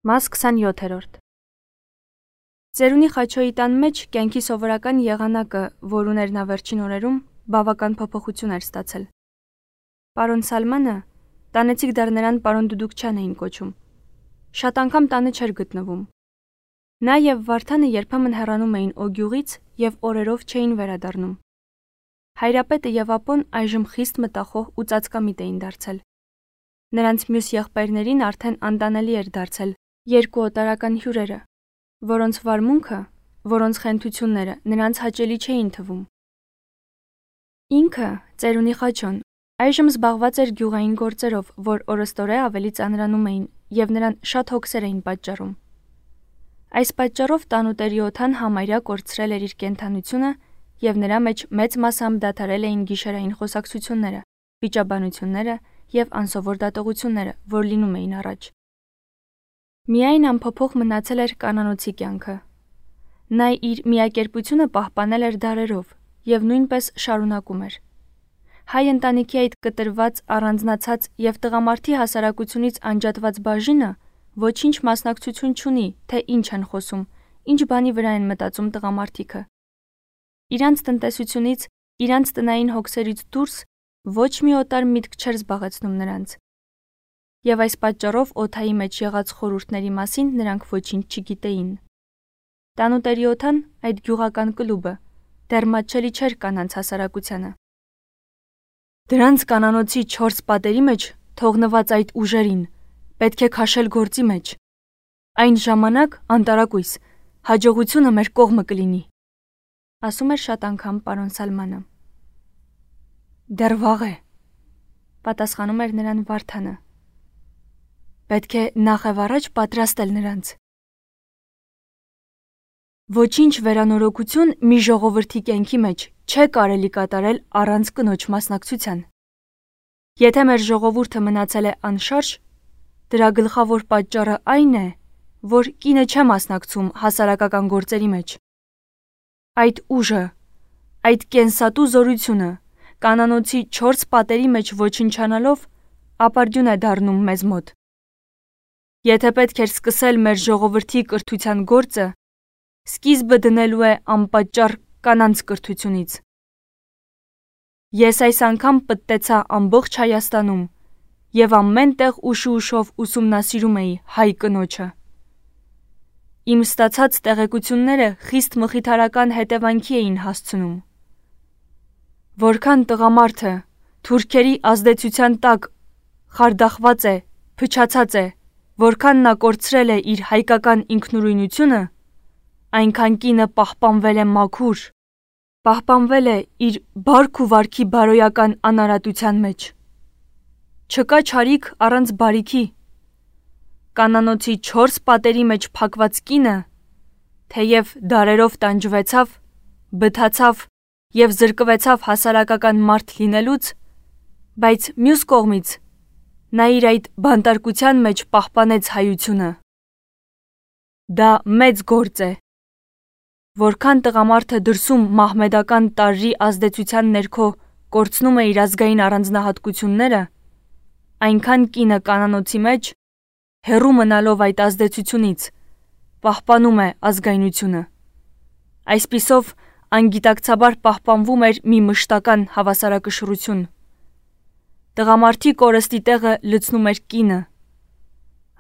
Մաս 27 Ծերունի Խաչոյի տան մեջ կյանքի սովորական եղանակը, որ ուներ նա վերջին օրերում, բավական փոփոխություն էր ստացել։ Պարոն Սալմանը, տանեցիք դեռ նրան պարոն Դուդուկչյան էին կոչում, շատ անգամ տանը չէր գտնվում։ Նա եւ Վարդանը երբեմն հեռանում էին Օգյուղից եւ օրերով չէին վերադառնում։ Հայրապետը եւ ապոն այժմ խիստ մտախոհ ու ծածկամիտ էին դարձել։ Նրանց մյուս եղբայրներին արդեն անտանելի էր դարձել երկու օտարական հյուրերը, որոնց վարմունքը, որոնց խենթությունները նրանց հաճելի չէին թվում։ Ինքը, Ծերունի Խաչոն, այժմ զբաղված էր գյուղային գործերով, որ օրստորե ավելի ծանրանում էին եւ նրան շատ հոգսեր էին պատճառում։ Այս պատճառով տանուտերի օդան համարյա կորցրել էր իր կենդանությունը եւ նրա մեջ մեծ մասամբ դադարել էին գիշերային խոսակցությունները, վիճաբանությունները եւ անսովոր դատողությունները, որ լինում էին առաջ։ Միայն անփոփոխ մնացել էր կանանոցի կյանքը։ Նա իր միակերպությունը պահպանել էր դարերով եւ նույնպես շարունակում էր։ Հայ ընտանիքի այդ կտրված, առանձնացած եւ տղամարդի հասարակությունից անջատված բաժինը ոչինչ մասնակցություն չունի, թե ինչ են խոսում, ինչ բանի վրա են մտածում տղամարդիկը։ Իրանց տնտեսությունից, իրանց տնային հոգսերից դուրս ոչ մի օտար միտք չէր զբաղեցնում նրանց։ Եվ այս պատճառով օդայի մեջ եղած խորհուրդների մասին նրանք ոչինչ չգիտեին։ Տանուտերի օդան, այդ գյուղական կլուբը, դեռ մատչելի չէր կանանց հասարակությանը։ Դրանց կանանոցի 4 պատերի մեջ թողնված այդ ուժերին պետք է քաշել գործի մեջ։ Այն ժամանակ անտարակույս հաջողությունը մեր կողմը կլինի, ասում էր շատ անգամ պարոն Սալմանը։ Դեռ վաղ է, պատասխանում էր նրան Վարդանը։ Պետք է նախ եւ առաջ պատրաստել նրանց։ Ոչինչ վերանորոգություն մի ժողովրդի կյանքի մեջ չէ կարելի կատարել առանց կնոջ մասնակցության։ Եթե մեր ժողովուրդը մնացել է անշարժ, դրա գլխավոր պատճառը այն է, որ կինը չէ մասնակցում հասարակական գործերի մեջ։ Այդ ուժը, այդ կենսատու զորությունը կանանոցի 4 պատերի մեջ ոչնչանալով ապարդյուն է դառնում մեզ մոտ։ Եթե պետք էր սկսել մեր ժողովրդի կրթության գործը, սկիզբը դնելու է անպատճառ կանանց կրթությունից։ Ես այս անգամ պտտեցա ամբողջ Հայաստանում եւ ամեն տեղ ուշով ուսումնասիրում էի հայ կնոջը։ Իմ ստացած տեղեկությունները խիստ մխիթարական հետևանքի էին հասցնում։ Որքան տղամարդը թուրքերի ազդեցության տակ խարդախված է, փչացած է, որքան նա կորցրել է իր հայկական ինքնուրույնությունը, այնքան կինը պահպանվել է մաքուր, պահպանվել է իր բարք ու վարքի բարոյական անարատության մեջ։ Չկա չարիք առանց բարիքի։ Կանանոցի 4 պատերի մեջ փակված կինը, թեև դարերով տանջվեցավ, բթացավ եւ զրկվեցավ հասարակական մարդ լինելուց, բայց մյուս կողմից նա իր այդ բանտարկության մեջ պահպանեց հայությունը։ Դա մեծ գործ է։ Որքան տղամարդը դրսում մահմեդական տարրի ազդեցության ներքո կորցնում է իր ազգային առանձնահատկությունները, այնքան կինը կանանոցի մեջ, հեռու մնալով այդ ազդեցությունից, պահպանում է ազգայնությունը։ Այսպիսով անգիտակցաբար պահպանվում էր մի մշտական հավասարակշռություն։ Տղամարդի կորստի տեղը լցնում էր կինը։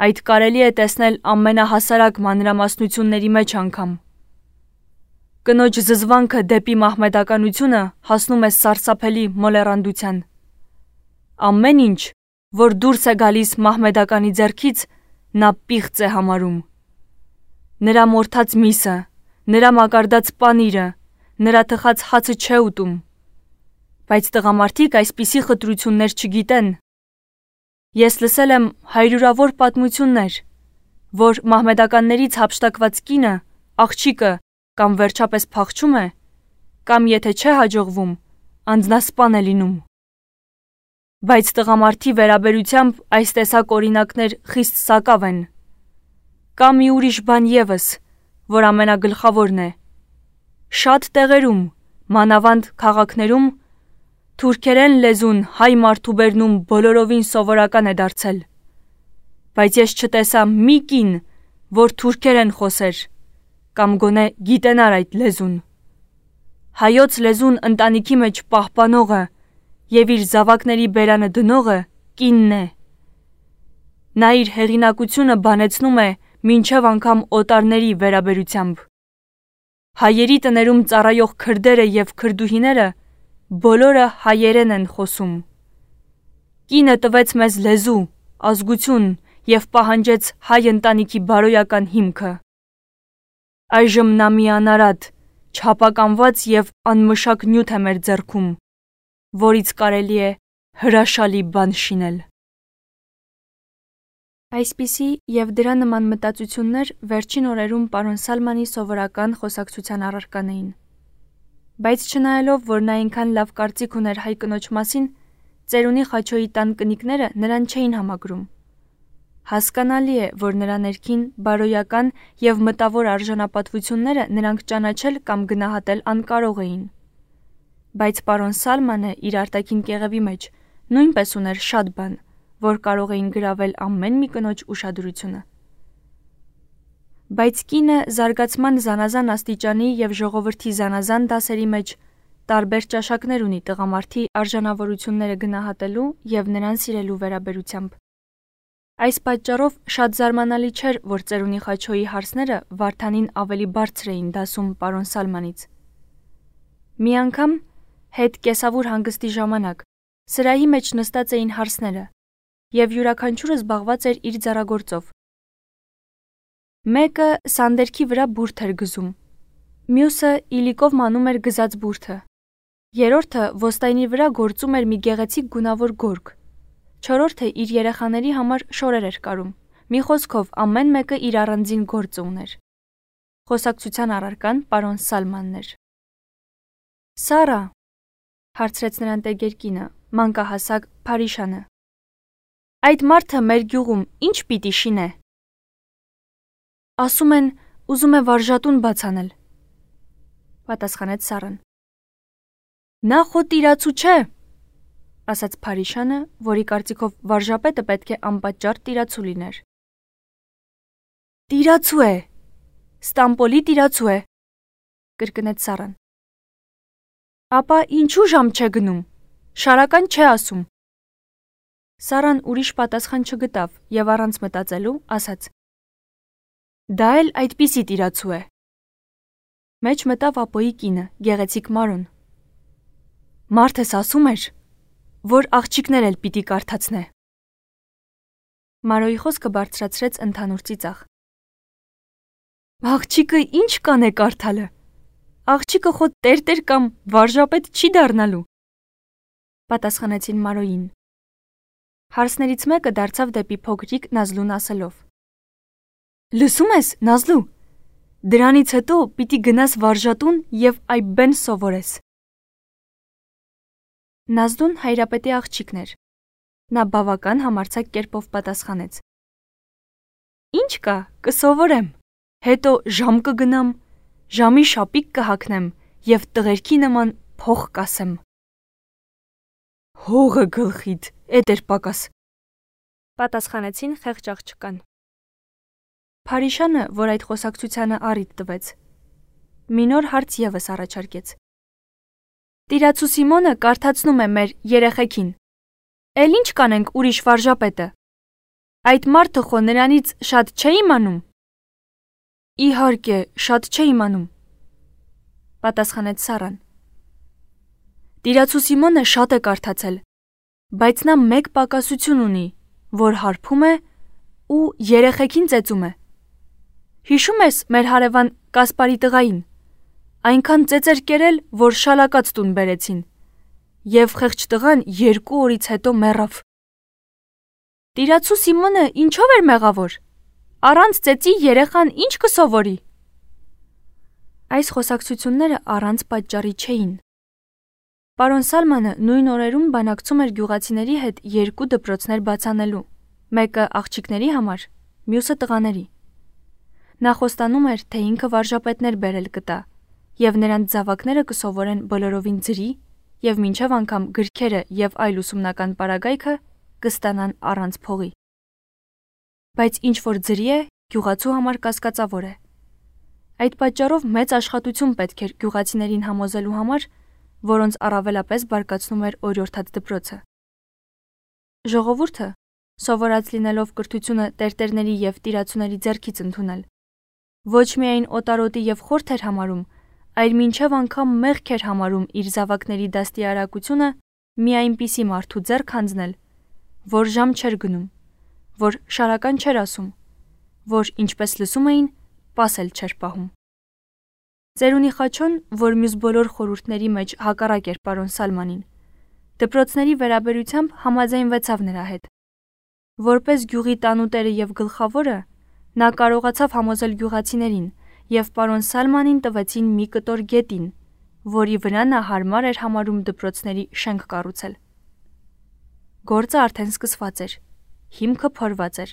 Այդ կարելի է տեսնել ամենահասարակ մանրամասնությունների մեջ անգամ։ Կնոջ զզվանքը դեպի մահմեդականությունը հասնում է սարսափելի մոլեռանդության։ Ամեն ինչ, որ դուրս է գալիս մահմեդականի ձեռքից, նա պիղծ է համարում։ Նրա մորթած միսը, նրա մակարդած պանիրը, նրա թխած հացը չէ ուտում։ Բայց տղամարդիկ այսպիսի խտրություններ չգիտեն։ Ես լսել եմ հարյուրավոր պատմություններ, որ մահմեդականներից հափշտակված կինը, աղջիկը կամ վերջապես փախչում է, կամ եթե չէ հաջողվում, անձնասպան է լինում։ Բայց տղամարդի վերաբերությամբ այս տեսակ օրինակներ խիստ սակավ են։ Կա մի ուրիշ բան եւս, որ ամենագլխավորն է։ Շատ տեղերում, մանավանդ քաղաքներում, թուրքերեն լեզուն հայ մարդու բերնում բոլորովին սովորական է դարձել։ Բայց ես չտեսա մի կին, որ թուրքերեն խոսեր, կամ գոնե գիտենար այդ լեզուն։ Հայոց լեզուն ընտանիքի մեջ պահպանողը եւ իր զավակների բերանը դնողը կինն է։ Նա իր հեղինակությունը բանեցնում է մինչև անգամ օտարների վերաբերությամբ։ Հայերի տներում ծառայող քրդերը եւ քրդուհիները բոլորը հայերեն են խոսում։ Կինը տվեց մեզ լեզու, ազգություն եւ պահանջեց հայ ընտանիքի բարոյական հիմքը։ Այժմ նա մի անարատ, չափականված եւ անմշակ նյութ է մեր ձեռքում, որից կարելի է հրաշալի բան շինել։ Այսպիսի եւ դրա նման մտածություններ վերջին օրերում պարոն Սալմանի սովորական խոսակցության առարկան էին։ Բայց չնայելով, որ նա այնքան լավ կարծիք ուներ հայ կնոջ մասին, ծերունի Խաչոյի տան կնիկները նրան չէին համագրում։ Հասկանալի է, որ նրա ներքին բարոյական եւ մտավոր արժանապատվությունները նրանք ճանաչել կամ գնահատել անկարող էին։ Բայց պարոն Սալմանը իր արտաքին կեղևի մեջ նույնպես ուներ շատ բան, որ կարող էին գրավել ամեն մի կնոջ ուշադրությունը։ Բայց կինը զարգացման զանազան աստիճանի եւ ժողովրդի զանազան դասերի մեջ տարբեր ճաշակներ ունի տղամարդի արժանավորությունները գնահատելու եւ նրան սիրելու վերաբերությամբ։ Այս պատճառով շատ զարմանալի չէր, որ ծերունի Խաչոյի հարցները Վարդանին ավելի բարձր էին դասում պարոն Սալմանից։ Մի անգամ հետ կեսավուր հանգստի ժամանակ սրահի մեջ նստած էին հարսները եւ յուրաքանչյուրը զբաղված էր իր ձեռագործով։ Մեկը սանդերքի վրա բուրդ էր գզում, մյուսը իլիկով մանում էր գզած բուրդը, երրորդը ոստայնի վրա գործում էր մի գեղեցիկ գունավոր գորգ, չորրորդը իր երեխաների համար շորեր էր կարում, մի խոսքով ամեն մեկը իր առանձին գործը ուներ։ Խոսակցության առարկան պարոն Սալմանն էր։ Սարա, հարցրեց նրան տերկերկինը, մանկահասակ Փարիշանը, այդ մարդը մեր գյուղում ինչ պիտի շինե։ Ասում են, ուզում է վարժատուն բաց անել, պատասխանեց Սարան։ Նա խո տիրացու չէ, ասաց Փարիշանը, որի կարծիքով վարժապետը պետք է անպատճառ տիրացու լիներ։ Տիրացու է, Ստամպոլի տիրացու է, կրկնեց Սարան։ Ապա ինչու ժամ չէ գնում, շարական չէ ասում։ Սարան ուրիշ պատասխան չգտավ եւ առանց մտածելու ասաց. Դա էլ այդպիսի տիրացու է։ Մեջ մտավ ապոյի կինը, գեղեցիկ Մարոն։ Մարդս ասում էր, որ աղջիկներ էլ պիտի կարդացնե։ Մարոյի խոսքը բարձրացրեց ընդհանուր ծիծաղ։ Աղջիկը ինչ կանե կարդալը։ Աղջիկը խո տերտեր կամ վարժապետ չի դառնալու, պատասխանեցին Մարոյին։ Հարսներից մեկը դարձավ դեպի փոքրիկ Նազլուն ասելով. Լսում ես, Նազլու, դրանից հետո պիտի գնաս վարժատուն եւ այբեն սովորես։ Նազլուն հայրապետի աղջիկն էր։ Նա բավական համարձակ կերպով պատասխանեց. Ինչ կա, կսովորեմ, հետո ժամ կգնամ, ժամի շապիկ կհագնեմ եւ տղերքի նման փող կասեմ։ Հողը գլխիդ, էդ էր պակաս, պատասխանեցին խեղճ աղջկան։ Փարիշանը, որ այդ խոսակցությանը առիթ տվեց, մի նոր հարց եւս առաջարկեց։ Տիրացու Սիմոնը կարդացնում է մեր երեխեքին։ Էլ ինչ կանենք ուրիշ վարժապետը։ Այդ մարդը խո նրանից շատ չէ իմանում։ Իհարկե, շատ չէ իմանում, պատասխանեց Սարան։ Տիրացու Սիմոնը շատ է կարդացել, բայց նա մեկ պակասություն ունի, որ հարբում է ու երեխեքին ծեծում է։ Հիշում ես մեր հարևան Կասպարի տղային, այնքան ծեծեր կերել, որ շալակած տուն բերեցին, եւ խեղճ տղան 2 օրից հետո մեռավ։ Տիրացու Սիմոնը ինչով էր մեղավոր։ Առանց ծեծի երեխան ինչ կսովորի։ Այս խոսակցությունները առանց պատճառի չէին։ Պարոն Սալմանը նույն օրերում բանակցում էր գյուղացիների հետ 2 դպրոցներ բացանելու, մեկը աղջիկների համար, մյուսը տղաների։ Նա խոստանում էր, թե ինքը վարժապետներ բերել կտա, եւ նրանց զավակները կսովորեն բոլորովին ձրի եւ մինչեւ անգամ գրքերը եւ այլ ուսումնական պարագայքը կստանան առանց փողի։ Բայց ինչ որ ձրի է, գյուղացու համար կասկածավոր է։ Այդ պատճառով մեծ աշխատություն պետք էր գյուղացիներին համոզելու համար, որոնց առավելապես բարկացնում էր օրիորդաց դպրոցը։ Ժողովուրդը, սովորած լինելով կրթությունը տերտերների և տիրացուների ձեռքից ընդունել, ոչ միայն օտարոտի և խորթ էր համարում, այլ մինչև անգամ մեղք էր համարում իր զավակների դաստիարակությունը մի այնպիսի մարդու ձեռք հանձնել, որ ժամ չէր գնում, որ շարական չէր ասում, որ, ինչպես լսում էին, պասել չէր պահում։ Ծերունի Խաչոն, որ մյուս բոլոր խորհուրդների մեջ հակառակ էր պարոն Սալմանին, դպրոցների վերաբերությամբ համաձայնվեցավ նրա հետ։ Որպես գյուղի տանուտերը և գլխավորը, նա կարողացավ համոզել գյուղացիներին և պարոն Սալմանին տվեցին մի կտոր գետին, որի վրա նա հարմար էր համարում դպրոցների շենք կառուցել։ Գործը արդեն սկսված էր, հիմքը փորված էր։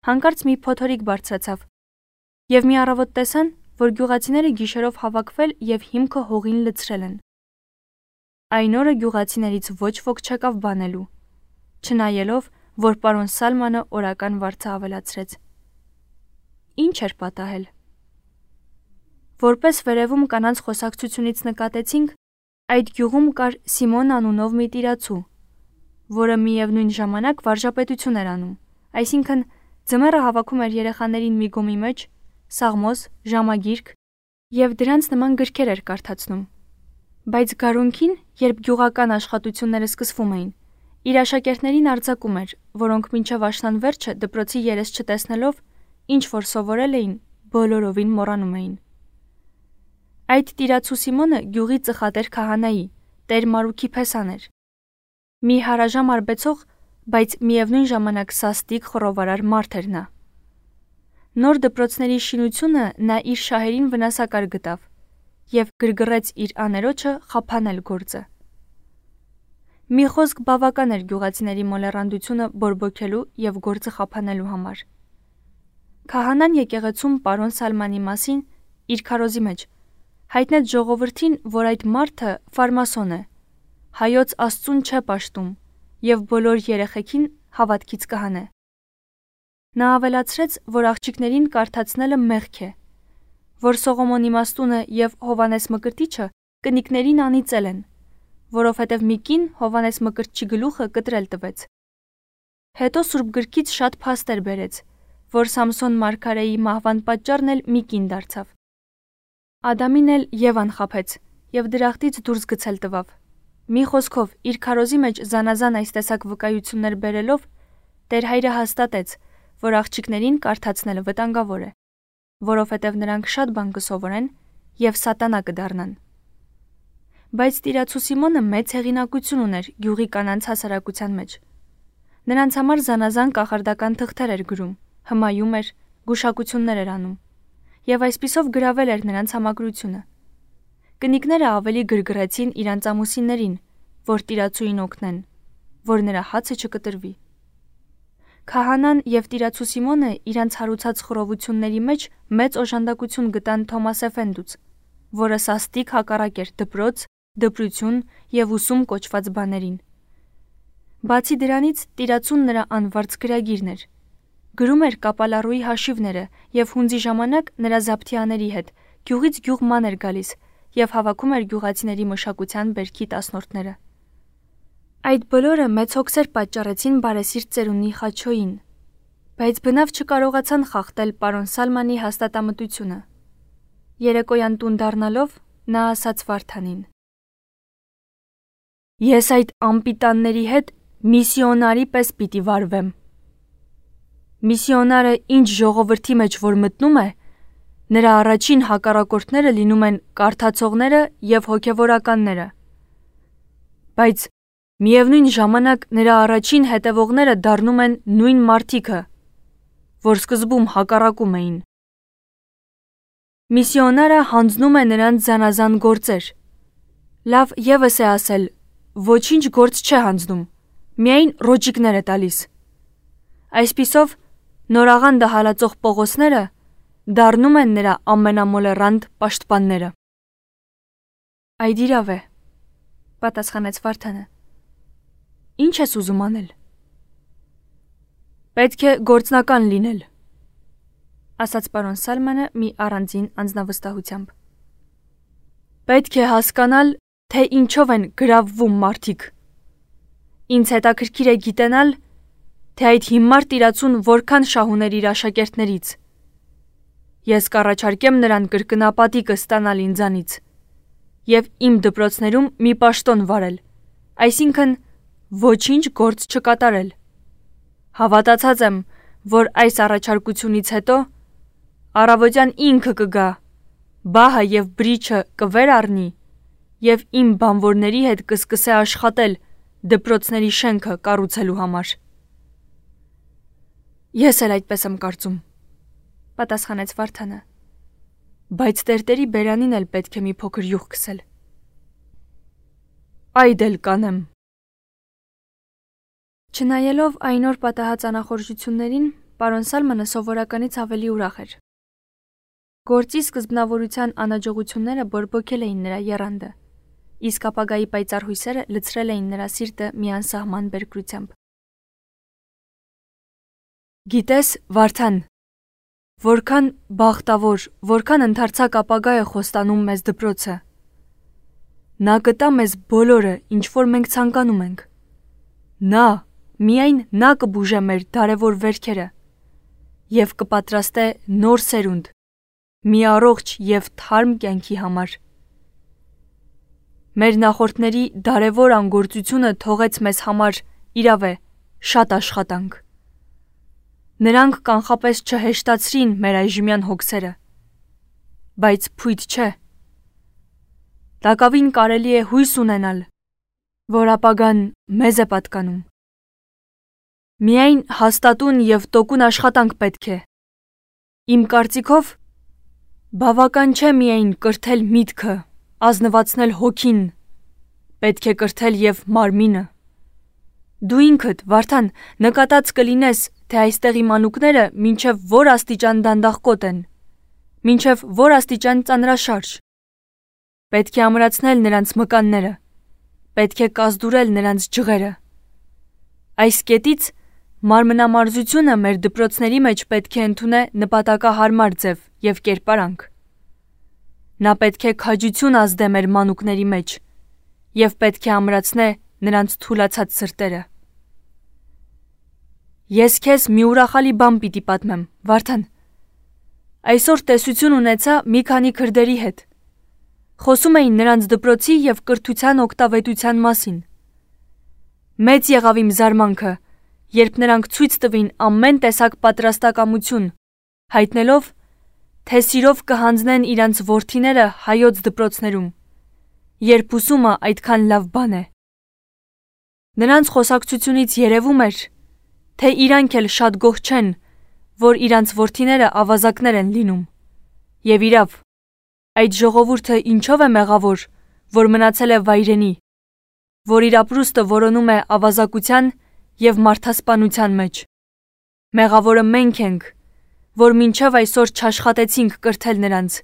Հանկարծ մի փոթորիկ բարձրացավ, և մի առավոտ տեսան, որ գյուղացիները գիշերով հավաքվել և հիմքը հողին լցրել են։ Այն օրը գյուղացիներից ոչ ոք չեկավ բանելու, չնայելով, որ պարոն Սալմանը օրական վարձը ավելացրեց։ Ինչ էր պատահել։ Որպես վերևում կանանց խոսակցությունից նկատեցինք, այդ գյուղում կար Սիմոն անունով մի տիրացու, որը միևնույն ժամանակ վարժապետություն էր անում, այսինքն ձմեռը հավաքում էր երեխաներին մի գոմի մեջ, սաղմոս, ժամագիրք և դրանց նման գրքեր էր կարդացնում։ Բայց գարունքին, երբ գյուղական աշխատությունները սկսվում էին, իր աշակերտներին արձակում էր, որոնք մինչև աշնան վերջը դպրոցի երես չտեսնելով, ինչ որ սովորել էին, բոլորովին մոռանում էին։ Այդ տիրացու Սիմոնը գյուղի ծխատեր քահանայի, տեր Մարուքի փեսան էր։ Մի հարաժամ արբեցող, բայց միևնույն ժամանակ սաստիկ խռովարար մարդ էր նա։ Նոր դպրոցների շինությունը նա իր շահերին վնասակար գտավ և գրգռեց իր աներոջը խափանել գործը։ Մի խոսք բավական էր գյուղացիների մոլեռանդությունը բորբոքելու և գործը խափանելու համար։ Քահանան եկեղեցում պարոն Սալմանի մասին իր քարոզի մեջ հայտնեց ժողովրդին, որ այդ մարդը ֆարմասոն է, հայոց Աստծուն չէ պաշտում և բոլոր երեխեքին հավատքից կհանե։ Նա ավելացրեց, որ աղջիկներին կարդացնելը մեղք է, որ Սողոմոն իմաստունը և Հովանես Մկրտիչը կնիկներին անիծել են, որովհետև մի կին Հովանես Մկրտչի գլուխը կտրել տվեց։ Հետո Սուրբ գրքից շատ փաստեր բերեց, որ Սամսոն մարգարեի մահվան պատճառն էլ մի կին դարձավ։ Ադամին էլ Եվան խաբեց և դրախտից դուրս գցել տվավ։ Մի խոսքով, իր քարոզի մեջ զանազան այս տեսակ վկայություններ բերելով, Տեր Հայրը հաստատեց, որ աղջիկներին կարդացնելը վտանգավոր է, որովհետև նրանք շատ բան կսովորեն և սատանա կդառնան։ Բայց տիրացու Սիմոնը մեծ հեղինակություն ուներ գյուղի կանանց հասարակության մեջ։ Նրանց համար զանազան կախարդական թղթեր էր գրում, հմայում էր, գուշակություններ էր անում, և այսպիսով գրավել էր նրանց համակրությունը։ Կնիկները ավելի գրգռեցին իրանց ամուսիններին, որ տիրացուին օգնեն, որ նրա հացը չկտրվի։ Քահանան և տիրացու Սիմոնը իրանց հարուցած խռովությունների մեջ մեծ օժանդակություն գտան Թոմաս Էֆենդուց, որը սաստիկ հակառակ էր դպրոց, դպրություն և ուսում կոչված բաներին։ Բացի դրանից, տիրացուն նրա անվարձ գրագիրն էր։ Գրում էր կապալառուի հաշիվները և հունձի ժամանակ նրա զապթիաների հետ գյուղից գյուղ ման էր գալիս և հավաքում էր գյուղացիների մշակության բերքի տասնորդները։ Այդ բոլորը մեծ հոգսեր պատճառեցին բարեսիրտ ծերունի Խաչոյին, բայց բնավ չկարողացան խախտել պարոն Սալմանի հաստատամտությունը։ Երեկոյան տուն դառնալով նա ասաց Վարդանին. «Ես այդ անպիտանների հետ միսիոնարի պես պիտի վարվեմ։ Միսիոնարը ինչ ժողովրդի մեջ որ մտնում է, նրա առաջին հակառակորդները լինում են կարդացողները և հոգևորականները, բայց միևնույն ժամանակ նրա առաջին հետևողները դառնում են նույն մարդիկը, որ սկզբում հակառակում էին։ Միսիոնարը հանձնում է նրանց զանազան գործեր։ Լավ ևս է ասել, ոչինչ գործ չէ հանձնում, միայն ռոճիկներ է տալիս։ Այսպիսով, նորաղանդը հալածող Պողոսները դառնում են նրա ամենամոլեռանդ պաշտպանները»։ «Այդ իրավ է», պատասխանեց Վարդանը։ «Ինչ ես ուզում անել»։ «Պետք է գործնական լինել։ ասաց պարոն Սալմանը մի առանձին անձնավստահությամբ։ Պետք է հասկանալ, թե ինչով են գրավվում մարդիկ։ Ինձ հետաքրքիր է գիտենալ, թե այդ հիմար տիրացուն որքան շահուներ իր աշակերտներից։ Ես կառաջարկեմ նրան կրկնապատիկը ստանալ ինձանից և իմ դպրոցներում մի պաշտոն վարել, այսինքն ոչինչ գործ չկատարել։ Հավատացած եմ, որ այս առաջարկությունից հետո առավոտյան ինքը կգա, բահը և բրիչը կվեր առնի և իմ բանվորների հետ կսկսե աշխատել դպրոցների շենքը կառուցելու համար։ Ես էլ այդպես եմ կարծում, պատասխանեց Վարդանը, բայց տերտերի բերանին էլ պետք է մի փոքր յուղ քսել։ Այդ էլ կանեմ։ Չնայելով այն օր պատահած անախորժություններին, պարոն Սալմանը սովորականից ավելի ուրախ էր։ Գործի սկզբնավորության անհաջողությունները բորբոքել էին նրա եռանդը, իսկ ապագայի պայծառ հույսերը լցրել էին նրա սիրտը մի անսահման բերկրությամբ։ Գիտես, Վարդան, որքան բախտավոր, որքան ընդարձակ ապագա է խոստանում մեզ դպրոցը։ Նա կտա մեզ բոլորը, ինչ որ մենք ցանկանում ենք։ Միայն նա կբուժե մեր դարևոր վերքերը և կպատրաստե նոր սերունդ, մի առողջ և թարմ կյանքի համար։ Մեր նախորդների դարևոր անգործությունը թողեց մեզ համար, իրավ է, շատ աշխատանք։ Նրանք կանխապես չհեշտացրին մեր այժմյան հոգսերը, բայց փույթ չէ։ Տակավին կարելի է հույս ունենալ, որ ապագան մեզ է պատկանում։ Միայն հաստատուն և տոկուն աշխատանք պետք է։ Իմ կարծիքով, բավական չէ միայն կրթել միտքը, ազնվացնել հոգին, պետք է կրթել և մարմինը։ Դու ինքդ, Վարդան, նկատած կլինես, թե այստեղի մանուկները մինչև որ աստիճան դանդաղկոտ են, մինչև որ աստիճան ծանրաշարժ։ Պետք է ամրացնել նրանց մկանները, պետք է կազդուրել նրանց ջղերը։ Այս կետից մարմնամարզությունը մեր դպրոցների մեջ պետք է ընդունե նպատակահարմար ձև և կերպարանք։ Նա պետք է քաջություն ազդե մեր մանուկների մեջ և պետք է ամրացնե նրանց թուլացած սրտերը։ Ես քեզ մի ուրախալի բան պիտի պատմեմ, Վարդան։ Այսօր տեսություն ունեցա մի քանի քրդերի հետ։ Խոսում էին նրանց դպրոցի և կրթության օգտավետության մասին։ Մեծ եղավ իմ զարմանքը, երբ նրանք ցույց տվին ամեն տեսակ պատրաստակամություն, հայտնելով, թե սիրով կհանձնեն իրանց որդիները հայոց դպրոցներում, երբ ուսումը այդքան լավ բան է։ Նրանց խոսակցությունից երևում էր, թե իրանք էլ շատ գոհ չեն, որ իրանց որդիները ավազակներ են լինում։ Եվ իրավ, այդ ժողովուրդը ինչով է մեղավոր, որ մնացել է վայրենի, որ իր ապրուստը որոնում է ավազակության և մարդասպանության մեջ։ Մեղավորը մենք ենք, որ մինչև այսօր չաշխատեցինք կրթել նրանց։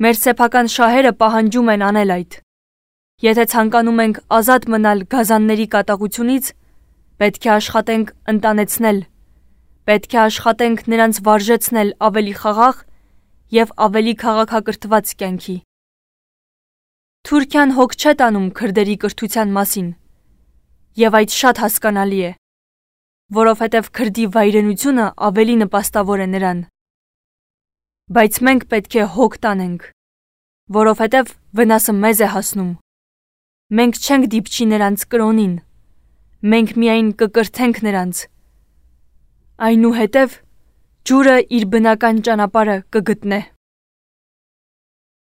Մեր սեփական շահերը պահանջում են անել այդ։ Եթե ցանկանում ենք ազատ մնալ գազանների կատաղությունից, պետք է աշխատենք ընտանեցնել, պետք է աշխատենք նրանց վարժեցնել ավելի խաղաղ և ավելի քաղաքակրթված կյանքի։ Թուրքիան հոգ չէ տանում քրդերի կրթության մասին, և այդ շատ հասկանալի է, որովհետև քրդի վայրենությունը ավելի նպաստավոր է նրան։ Բայց մենք պետք է հոգ տանենք, որովհետև վնասը մեզ է հասնում։ Մենք չենք դիպչի նրանց կրոնին, մենք միայն կկրթենք նրանց։ Այնուհետև ջուրը իր բնական ճանապարհը կգտնե։